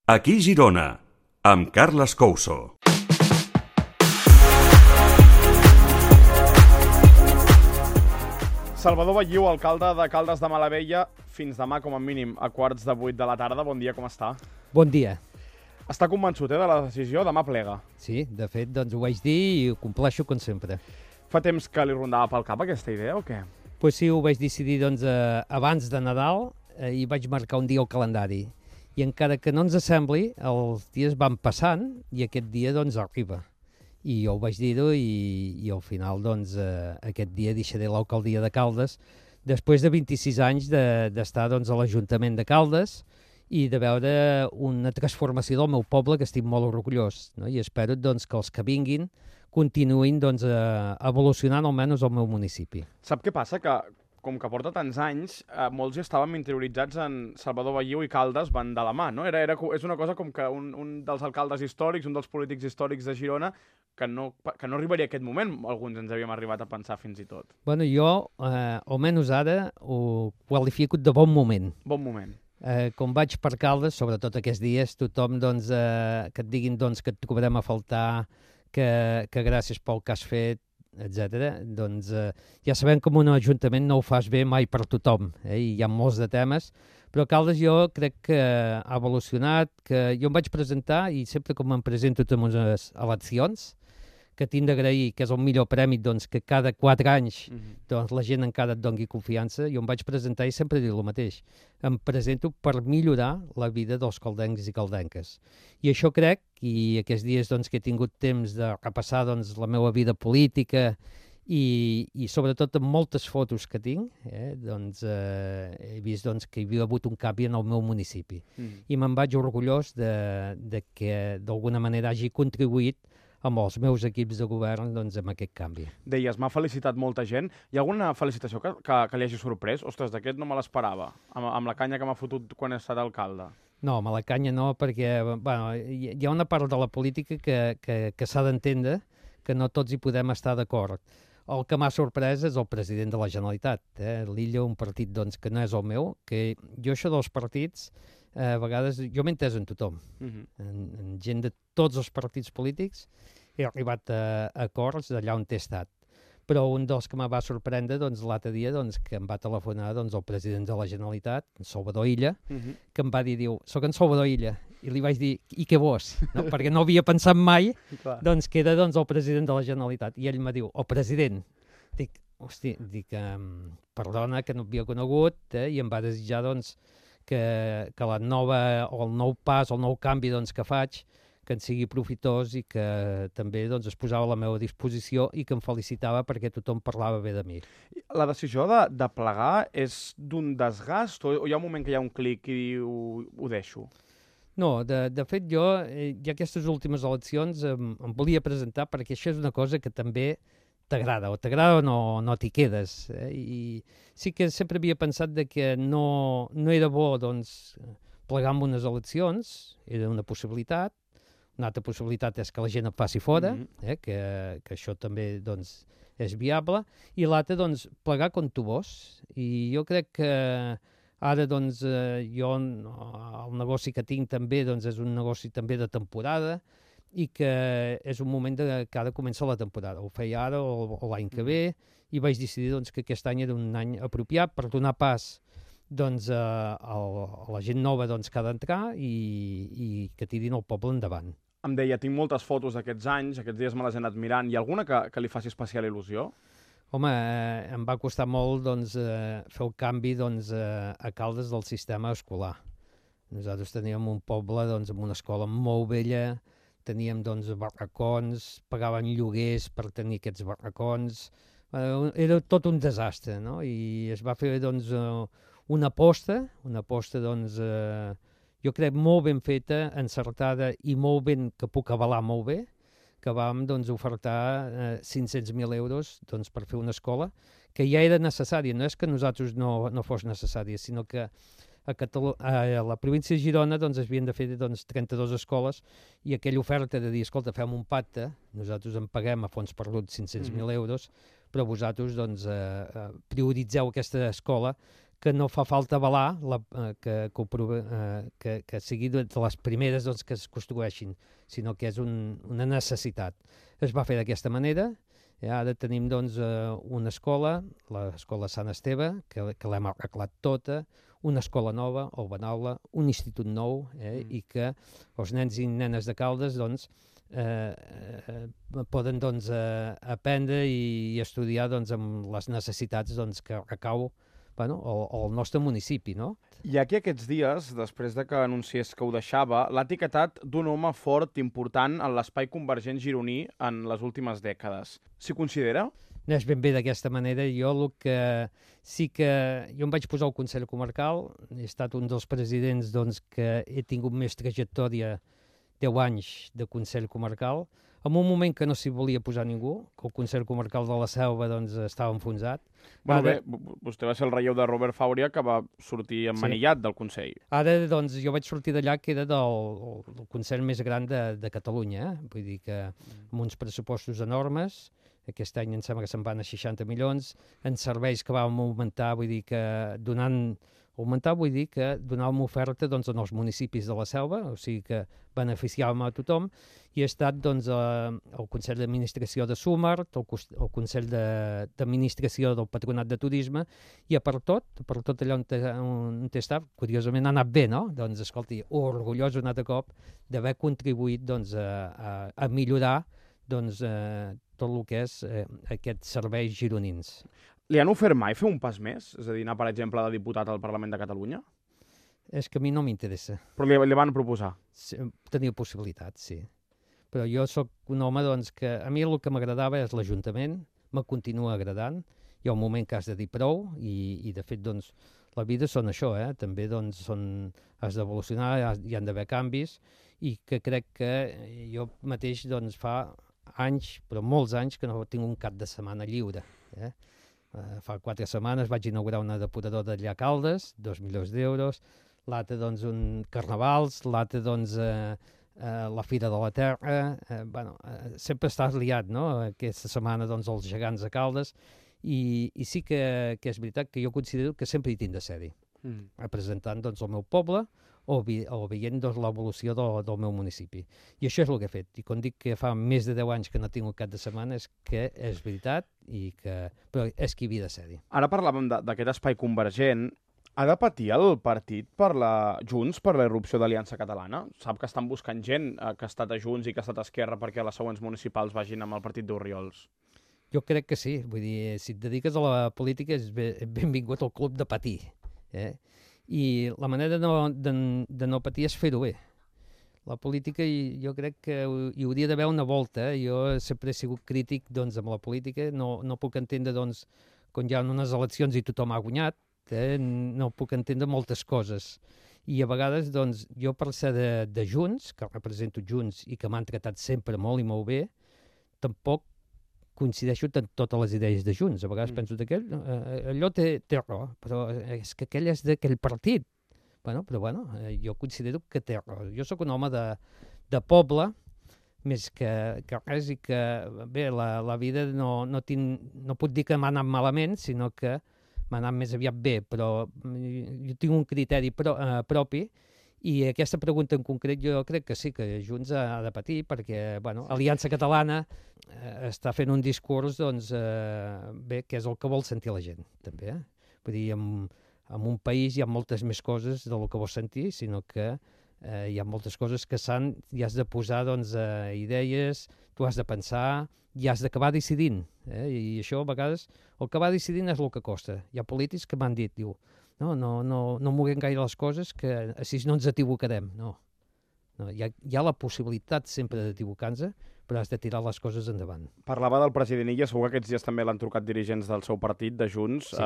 Aquí Girona, amb Carles Couso. Salvador Batlló, alcalde de Caldes de Malavella, fins demà com a mínim a 7:45 de la tarda. Bon dia, com està? Bon dia. Està convençut, de la decisió? Demà plega. Sí, de fet, doncs ho vaig dir i ho compleixo com sempre. Fa temps que li rondava pel cap aquesta idea o què? Pues sí, ho vaig decidir doncs, abans de Nadal i vaig marcar un dia al calendari. I encara que no ens sembli, els dies van passant i aquest dia doncs arriba. I jo ho vaig dir-ho i al final doncs, aquest dia deixaré l'alcaldia de Caldes després de 26 anys d'estar doncs, a l'Ajuntament de Caldes i de veure una transformació del meu poble que estic molt orgullós, no? I espero doncs, que els que vinguin continuïn doncs, evolucionant almenys el meu municipi. Sap què passa? Que com que porta tants anys, molts ja estàvem interioritzats en Salvador Batlló i Caldes van de la mà, no? És una cosa com que un dels alcaldes històrics, un dels polítics històrics de Girona, que no arribaria a aquest moment, alguns ens havíem arribat a pensar fins i tot. Bueno, jo, almenys ara, ho qualifico de bon moment. Bon moment. Com vaig per Caldes, sobretot aquests dies, tothom doncs, que et diguin doncs, que et trobarem a faltar, que gràcies pel que has fet, etc. Doncs ja sabem que un ajuntament no ho fas bé mai per tothom, i hi ha molts de temes, però Caldes jo crec que ha evolucionat, que jo em vaig presentar i sempre com em presento a unes eleccions, que tinc d'agrair, que és el millor premi, doncs, que cada 4 anys doncs, la gent encara et doni confiança. Jo em vaig presentar i sempre dic el mateix. Em presento per millorar la vida dels caldencs i caldenques. I això crec, i aquests dies doncs, que he tingut temps de repassar doncs, la meva vida política i sobretot amb moltes fotos que tinc, doncs, he vist doncs, que hi havia hagut un canvi en el meu municipi. I me'n vaig orgullós de que d'alguna manera hagi contribuït amb els meus equips de govern doncs, amb aquest canvi. Deies, m'ha felicitat molta gent. Hi ha alguna felicitació que li hagi sorprès? Ostres, d'aquest no me l'esperava, amb la canya que m'ha fotut quan he estat alcalde. No, amb la canya no, perquè bueno, hi ha una part de la política que s'ha d'entendre que no tots hi podem estar d'acord. El que m'ha sorprès és el president de la Generalitat. L'Illa, un partit doncs, que no és el meu, que jo això dels partits, a vegades, jo m'he entès en tothom, en gent de tots els partits polítics, he arribat a acords d'allà on he estat. Però un dels que me va sorprendre doncs, l'altre dia doncs, que em va telefonar doncs, el president de la Generalitat, en Salvador Illa, que em va dir, soc en Salvador Illa, i li vaig dir, i què vos? No? Perquè no havia pensat mai doncs, que era doncs, el president de la Generalitat. I ell em diu, el president. Dic, perdona, que no havia conegut, i em va desitjar doncs, que la nova, o el nou pas, el nou canvi doncs, que faig, que en sigui profitós i que també doncs, es posava a la meva disposició i que em felicitava perquè tothom parlava bé de mi. La decisió de plegar és d'un desgast o hi ha un moment que hi ha un clic i diu, ho deixo? No, de fet jo, ja aquestes últimes eleccions em volia presentar perquè això és una cosa que també t'agrada o no t'hi quedes. I sí que sempre havia pensat que no era bo doncs, plegar amb unes eleccions, era una possibilitat. Una altra possibilitat és que la gent et passi fora, que això també doncs, és viable, i l'altra, doncs, plegar com tu vols. I jo crec que ara doncs, jo el negoci que tinc també doncs, és un negoci també de temporada i que és un moment que ara comença la temporada. Ho feia ara o l'any que ve i vaig decidir doncs, que aquest any era un any apropiat per donar pas doncs, a la gent nova doncs, que ha d'entrar i que tirin el poble endavant. Em deia, tinc moltes fotos d'aquests anys, aquests dies me les he anat mirant. Hi ha alguna que li faci especial il·lusió? Home, em va costar molt doncs, fer el canvi doncs, a Caldes del sistema escolar. Nosaltres teníem un poble doncs, amb una escola molt vella, teníem doncs, barracons, pagaven lloguers per tenir aquests barracons. Era tot un desastre, no? I es va fer doncs, una aposta doncs, jo crec molt ben feta, encertada i molt ben, que puc avalar molt bé, que vam doncs, ofertar 500.000 euros doncs, per fer una escola que ja era necessària. No és que nosaltres no fos necessària, sinó que a la província de Girona doncs, es havien de fer doncs, 32 escoles i aquella oferta de dir, escolta, fem un pacte, nosaltres en paguem a fons perduts 500.000 euros, però vosaltres doncs, prioritzeu aquesta escola que no fa falta avalar que sigui de les primeres doncs, que es construeixin, sinó que és una necessitat. Es va fer d'aquesta manera. Ara tenim doncs, una escola, l'escola Sant Esteve, que l'hem arreglat tota, una escola nova, el Benaula, un institut nou, i que els nens i nenes de Caldes doncs, poden doncs, aprendre i estudiar doncs, amb les necessitats doncs, que recau el nostre municipi, no? I aquí aquests dies, després de que anunciés que ho deixava, l'ha etiquetat d'un home fort, important en l'espai convergent gironí en les últimes dècades. S'hi considera? No és ben bé d'aquesta manera. Jo el que sí que... Jo em vaig posar al Consell Comarcal, he estat un dels presidents doncs, que he tingut més trajectòria, 10 anys de Consell Comarcal, en un moment que no s'hi volia posar ningú, que el Consell Comarcal de la Selva doncs, estava enfonsat. Bueno, bé, vostè va ser el relleu de Robert Fàuria, que va sortir emmanillat del Consell. Ara, doncs, jo vaig sortir d'allà, que era del Consell més gran de Catalunya. Vull dir que amb uns pressupostos enormes, aquest any em sembla que se'n van a 60 milions, en serveis que vam augmentar, vull dir que donàvem oferta doncs, als municipis de la Selva, o sigui que beneficiàvem a tothom, i he estat doncs, al Consell d'Administració de Súmar, al Consell d'Administració del Patronat de Turisme, i per tot allà on he estat, curiosament ha anat bé, no? Doncs, escolti, orgullós un altre cop d'haver contribuït doncs, a millorar doncs, tot el que és aquests serveis gironins. Li han ofert mai fer un pas més? És a dir, anar, per exemple, de diputat al Parlament de Catalunya? És que a mi no m'interessa. Però li van proposar? Sí, tenia possibilitats, sí. Però jo sóc un home doncs, que a mi el que m'agradava és l'Ajuntament, me continua agradant, hi ha un moment que has de dir prou i de fet doncs, la vida són això, també doncs, has d'evolucionar, hi han d'haver canvis i que crec que jo mateix doncs, fa anys, però molts anys, que no tinc un cap de setmana lliure. Fa 4 setmanes vaig inaugurar una depuradora allà a Caldes, 2 milions d'euros, l'altre doncs un carnavals, l'altre doncs la Fira de la Terra, sempre estàs liat, no? Aquesta setmana doncs els gegants de Caldes, i sí que és veritat que jo considero que sempre hi tinc de ser-hi, representant doncs el meu poble, o veient doncs, l'evolució del meu municipi. I això és el que he fet. I quan dic que fa més de 10 anys que no tinc un cap de setmana és que és veritat, però és que hi havia de ser-hi. Ara parlàvem d'aquest espai convergent. Ha de patir el partit Junts per la irrupció d'Aliança Catalana? Sap que estan buscant gent que ha estat a Junts i que ha estat a Esquerra perquè les següents municipals vagin amb el partit d'Orriols. Jo crec que sí. Vull dir, si et dediques a la política és benvingut al club de patir. I la manera de no patir és fer-ho bé. La política jo crec que hi hauria d'haver una volta. Jo sempre he sigut crític doncs, amb la política, no puc entendre doncs, quan hi ha unes eleccions i tothom ha guanyat, no puc entendre moltes coses. I a vegades doncs, jo per ser de Junts, que represento Junts i que m'han tratat sempre molt i molt bé, tampoc coincideixo amb totes les idees de Junts. A vegades penso que allò té raó, però és que aquell és d'aquell partit. Però jo considero que té raó. Jo sóc un home de poble, més que res, i que bé, la vida no puc dir que m'ha anat malament, sinó que m'ha anat més aviat bé, però jo tinc un criteri propi. I aquesta pregunta en concret jo crec que sí, que Junts ha de patir, perquè Aliança Catalana està fent un discurs doncs, que és el que vol sentir la gent, també. Vull dir, en un país hi ha moltes més coses del que vols sentir, sinó que hi ha moltes coses que hi has de posar doncs, idees, tu has de pensar i has d'acabar decidint. I això a vegades el que va decidint és el que costa. Hi ha polítics que m'han dit, no moguem gaire les coses, que així no ens equivocarem. No. Hi ha la possibilitat sempre d'equivocar-nos, però has de tirar les coses endavant. Parlava del president Illa, segur que aquests dies també l'han trucat dirigents del seu partit, de Junts. Sí.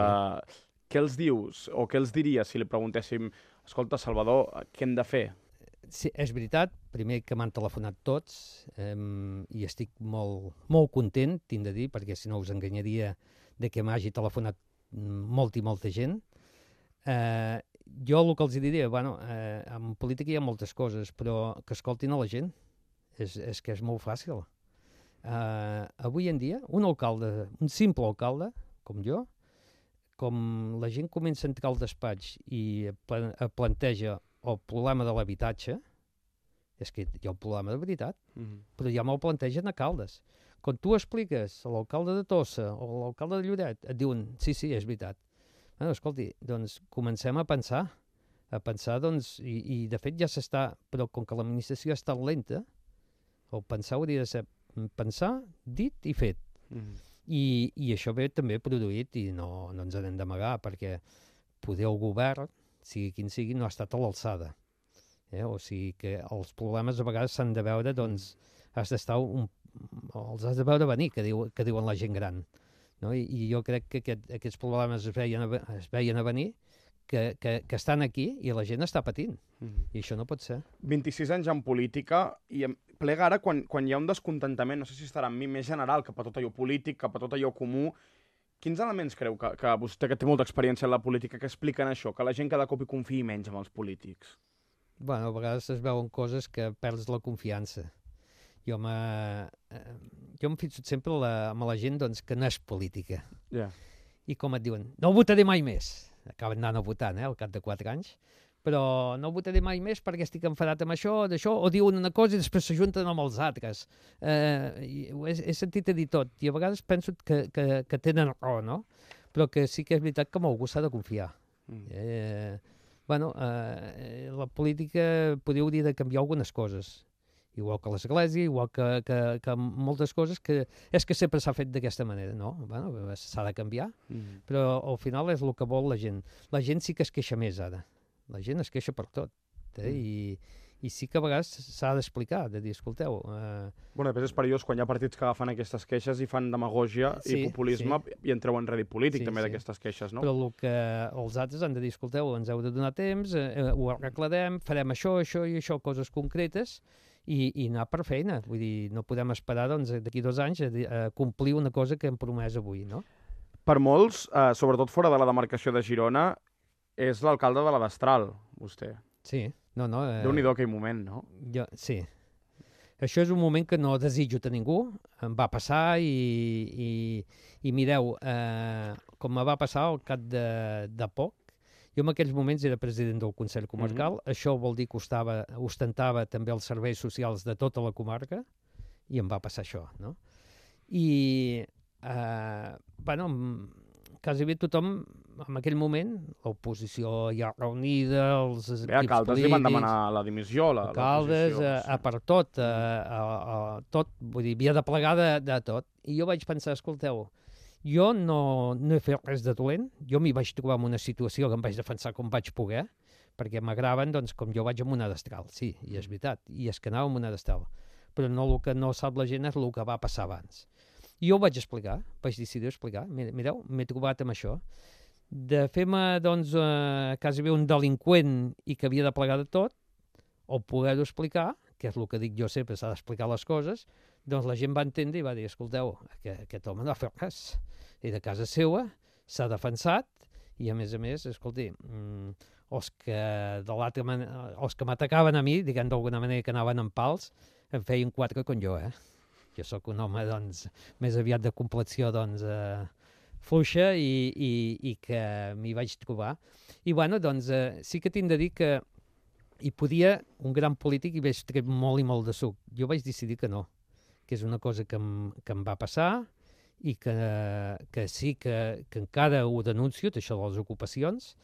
Què els dius, o què els diries si li preguntéssim, escolta, Salvador, què hem de fer? Sí, és veritat, primer que m'han telefonat tots, i estic molt, molt content, tinc de dir, perquè si no us enganyaria de que m'hagi telefonat molta gent. Jo el que els diria, en política hi ha moltes coses, però que escoltin a la gent, és que és molt fàcil. Avui en dia, un simple alcalde, com jo, com la gent comença a entrar al despatx i planteja el problema de l'habitatge, és que hi ha un problema de veritat, però ja me'l plantegen a Caldes. Quan tu expliques a l'alcalde de Tossa o a l'alcalde de Lloret, et diuen, sí, és veritat. Bueno, escolti, doncs comencem a pensar, doncs, i de fet ja s'està, però com que l'administració ha estat lenta, el pensar hauria de ser pensar, dit i fet. I això ve també produït, i no ens n'hem d'amagar, perquè poder el govern, sigui quin sigui, no ha estat a l'alçada. O sigui que els problemes a vegades s'han de veure, doncs, els has de veure venir, que diuen la gent gran. No? I jo crec que aquests problemes es veien a venir, que estan aquí i la gent està patint. I això no pot ser. 26 anys en política, i em plega ara quan hi ha un descontentament, no sé si estarà en mi, més general, cap a tot allò polític, cap a tot allò comú. Quins elements creu que vostè, que té molta experiència en la política, que expliquen això, que la gent cada cop hi confiï menys en els polítics? Bueno, a vegades es veuen coses que perds la confiança. Jo em fixo sempre amb la gent doncs, que no és política. I com et diuen, no votaré mai més. Acaben anant a votar, al cap de 4 anys. Però no votaré mai més perquè estic enfadat amb això, d'això, o diuen una cosa i després s'ajunten amb els altres. He sentit a dir tot, i a vegades penso que tenen raó, no? Però que sí que és veritat que amb algú s'ha de confiar. La política podria hauria de canviar algunes coses, igual que l'església, igual que moltes coses, que és que sempre s'ha fet d'aquesta manera, no? S'ha de canviar, però al final és el que vol la gent. La gent sí que es queixa més ara. La gent es queixa per tot, i sí que a vegades s'ha d'explicar, de dir, escolteu... Després és perillós quan hi ha partits que agafen aquestes queixes i fan demagògia i populisme i en treuen rèdit polític també d'aquestes queixes, no? Però el que els altres han de dir, escolteu, ens heu de donar temps, ho arreglarem, farem això i això, coses concretes, i anar per feina. Vull dir, no podem esperar d'aquí 2 anys a complir una cosa que hem promès avui, no? Per molts, sobretot fora de la demarcació de Girona, és l'alcalde de la Destral, vostè. Sí, no. Déu-n'hi-do aquell moment, no? Sí. Això és un moment que no desitjo a ningú, em va passar i mireu, com me va passar al cap de poc, jo en aquells moments era president del Consell Comarcal, això vol dir que ostentava també els serveis socials de tota la comarca, i em va passar això, no? I, quasi bé tothom, en aquell moment, l'oposició ja reunida, els equips polítics... A Caldes li van demanar la dimissió, l'oposició. A Caldes, per tot, tot, vull dir, havia de plegar de tot. I jo vaig pensar, escolteu, jo no he fet res de dolent, jo m'hi vaig trobar en una situació que em vaig defensar com vaig poder, perquè m'agraven, doncs, com jo vaig amb una destral, sí, i és veritat, i és que anava amb una destral. Però no, el que no sap la gent és el que va passar abans. I jo ho vaig explicar, vaig decidir explicar. Mireu, m'he trobat amb això. De fer-me, doncs, quasi bé un delinqüent i que havia de plegar de tot, o poder-ho explicar, que és el que dic jo sempre, s'ha d'explicar les coses, doncs la gent va entendre i va dir, escolteu, aquest home no ha fet res. Era a casa seva, s'ha defensat, i a més, escolti, els que m'atacaven a mi, diguem d'alguna manera que anaven amb pals, em feien 4 com jo, Jo sóc un home, doncs, més aviat de complexió, doncs, fluixa i que m'hi vaig trobar. I, bueno, doncs, sí que tinc de dir que hi podia un gran polític i vaig treure molt i molt de suc. Jo vaig decidir que no, que és una cosa que em va passar i que sí que encara ho denuncio, això de les ocupacions,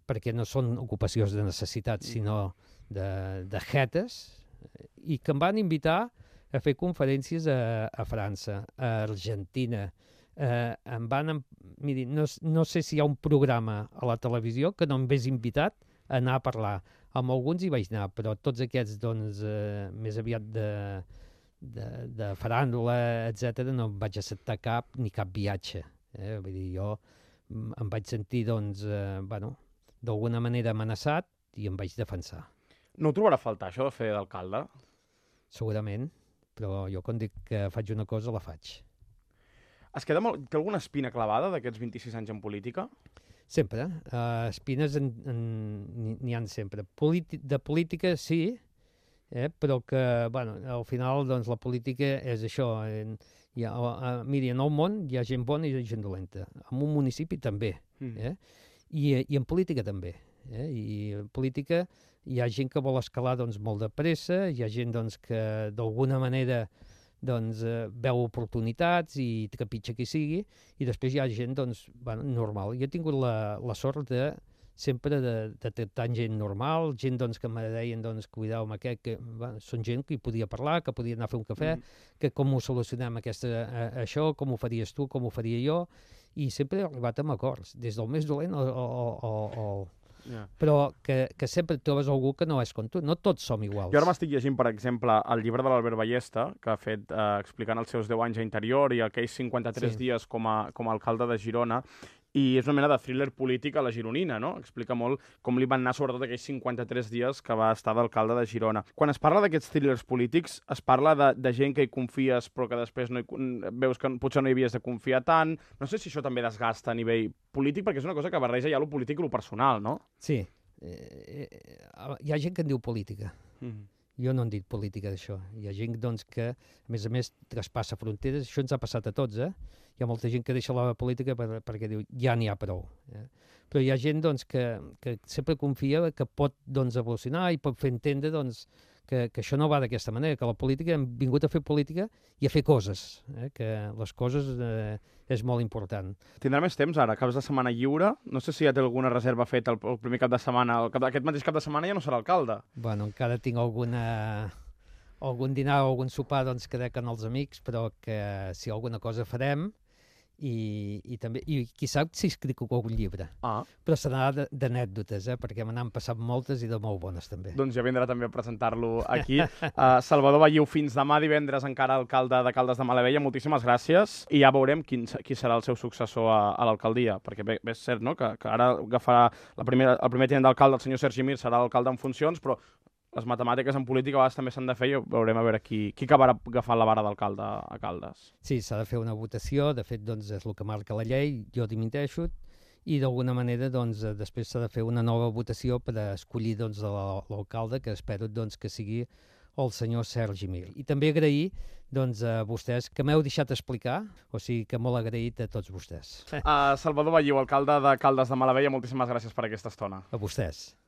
perquè no són ocupacions de necessitat, sinó de jetes, i que em van invitar a fer conferències a França, a Argentina. Miri, no sé si hi ha un programa a la televisió que no em hagués invitat a anar a parlar. Amb alguns hi vaig anar, però tots aquests, doncs, més aviat de faràndula, etc., no em vaig acceptar cap viatge. Vull dir, jo em vaig sentir, doncs, d'alguna manera amenaçat i em vaig defensar. No ho trobarà a faltar, això de fer d'alcalde? Segurament, però jo quan dic que faig una cosa, la faig. Es queda té alguna espina clavada d'aquests 26 anys en política? Sempre. Espines n'hi ha sempre. De política, sí, però que, bueno, al final, doncs, la política és això. Miri, en el món hi ha gent bona i hi ha gent dolenta. En un municipi també, I en política també. I en política hi ha gent que vol escalar doncs, molt de pressa, hi ha gent doncs, que d'alguna manera doncs, veu oportunitats i trepitja qui sigui, i després hi ha gent doncs, bueno, normal. Jo he tingut la sort de sempre de tractar gent normal, gent doncs, que me deien doncs, cuidao amb aquest, que bueno, són gent que hi podia parlar, que podia anar a fer un cafè, que com ho solucionem això, com ho faries tu, com ho faria jo, i sempre he arribat amb acords, des del més dolent però que sempre et trobes algú que no és com tu. No tots som iguals. Jo ara m'estic llegint, per exemple, el llibre de l'Albert Ballesta, que ha fet explicant els seus 10 anys a Interior i aquells 53 dies com a alcalde de Girona, i és una mena de thriller polític a la gironina, no? Explica molt com li van anar sobretot aquells 53 dies que va estar d'alcalde de Girona. Quan es parla d'aquests thrillers polítics, es parla de gent que hi confies però que després veus que potser no hi havies de confiar tant. No sé si això també desgasta a nivell polític, perquè és una cosa que barreja ja lo polític i lo personal, no? Sí. Hi ha gent que en diu política. Jo no en dic política d'això. Hi ha gent doncs, que, a més, traspassa fronteres. Això ens ha passat a tots, Hi ha molta gent que deixa la política perquè diu ja n'hi ha prou. Però hi ha gent doncs, que sempre confia que pot doncs, evolucionar i pot fer entendre doncs, que això no va d'aquesta manera, que la política hem vingut a fer política i a fer coses, que les coses és molt important. Tindrà més temps ara, caps de setmana lliure. No sé si ja té alguna reserva feta el primer cap de setmana. Aquest mateix cap de setmana ja no serà alcalde. Bueno, encara tinc algun dinar o algun sopar doncs, que dec amb els amics, però que si alguna cosa farem, i també, i qui sap si escric algun llibre. Però serà d'anècdotes, perquè me n'han passat moltes i de molt bones també. Doncs ja vindrà també a presentar-lo aquí. Salvador Balliu, fins demà divendres encara alcalde de Caldes de Malavella, moltíssimes gràcies, i ja veurem qui serà el seu successor a l'alcaldia, perquè bé, és cert, no?, que ara agafarà el primer tinent d'alcalde, el senyor Sergi Mir, serà l'alcalde en funcions, però les matemàtiques en política a vegades també s'han de fer i veurem a veure qui acabarà agafant la vara d'alcalde a Caldes. Sí, s'ha de fer una votació, de fet doncs, és el que marca la llei, jo dimiteixo, i d'alguna manera doncs, després s'ha de fer una nova votació per escollir doncs, l'alcalde, que espero doncs, que sigui el senyor Sergi Mir. I també agrair doncs, a vostès que m'heu deixat explicar, o sigui que molt agraït a tots vostès. Salvador Balliu, alcalde de Caldes de Malavella, moltíssimes gràcies per aquesta estona. A vostès.